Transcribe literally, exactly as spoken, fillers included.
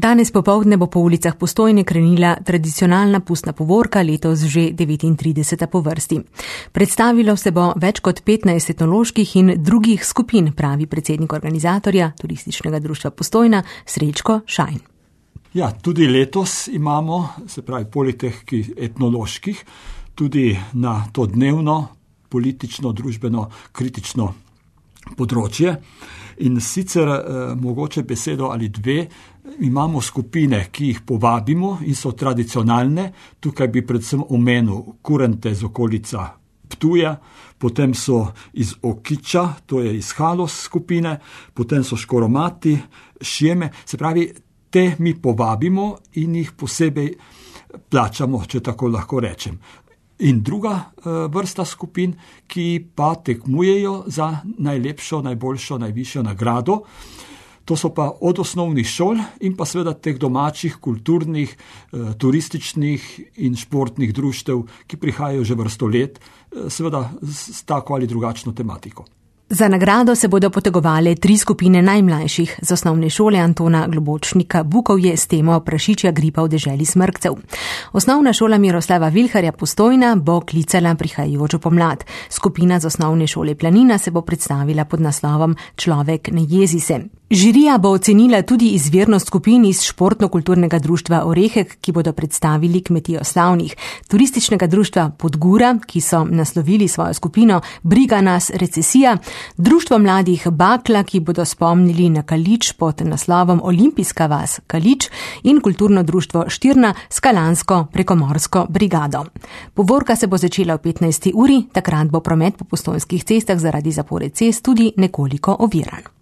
Danes popoldne bo po ulicah Postojne krenila tradicionalna pustna povorka, letos že devetintrideseta po vrsti. Predstavilo se bo več kot petnajst etnoloških in drugih skupin, pravi predsednik organizatorja Turističnega društva Postojna Srečko Šajn. Ja, tudi letos imamo, se pravi, poleg teh etnoloških, tudi na to dnevno, politično, družbeno, kritično področje. In sicer eh, mogoče besedo ali dve, imamo skupine, ki jih povabimo in so tradicionalne. Tukaj bi predvsem omenil kurente z okolica Ptuja, potem so iz Okiča, to je iz Halos skupine, potem so Škoromati, Šjeme, se pravi, te mi povabimo in jih posebej plačamo, če tako lahko rečem. In druga e, vrsta skupin, ki pa tekmujejo za najlepšo, najboljšo, najvišjo nagrado. To so pa od osnovnih šol in pa seveda teh domačih, kulturnih, e, turističnih in športnih društev, ki prihajajo že vrsto let, e, seveda s, s tako ali drugačno tematiko. Za nagrado se bodo potegovale tri skupine najmlajših z osnovne šole Antona Globočnika Bukovje s temo Prašičja gripa v deželi Smrkcev. Osnovna šola Miroslava Vilharja Postojna bo klicala prihajajočo pomlad. Skupina z osnovne šole Planina se bo predstavila pod naslovom Človek ne jezi se. Žirija bo ocenila tudi izvirnost skupin iz športno-kulturnega društva Orehek, ki bodo predstavili kmetijo slavnih, turističnega društva Podgura, ki so naslovili svojo skupino Briga nas recesija, društvo mladih Bakla, ki bodo spomnili na Kalič pod naslovom Olimpijska vas Kalič in kulturno društvo Štirna s kalansko prekomorsko brigado. Povorka se bo začela ob petnajsti uri, takrat bo promet po postojnskih cestah zaradi zapore cest tudi nekoliko oviran.